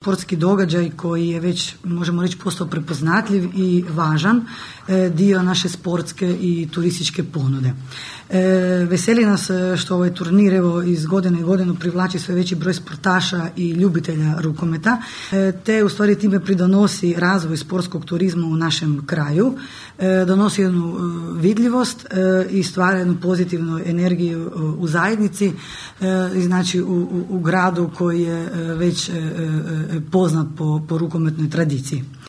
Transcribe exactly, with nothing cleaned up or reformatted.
Sportski događaj koji je već, možemo reći, postao prepoznatljiv i važan dio naše sportske i turističke ponude. Veseli nas što ovaj turnir evo iz godine u godinu privlači sve veći broj sportaša i ljubitelja rukometa, te u stvari time pridonosi razvoj sportskog turizma u našem kraju, donosi jednu vidljivost i stvara jednu pozitivnu energiju u zajednici, znači u, u, u gradu koji je već poznat po, po rukometnoj tradiciji.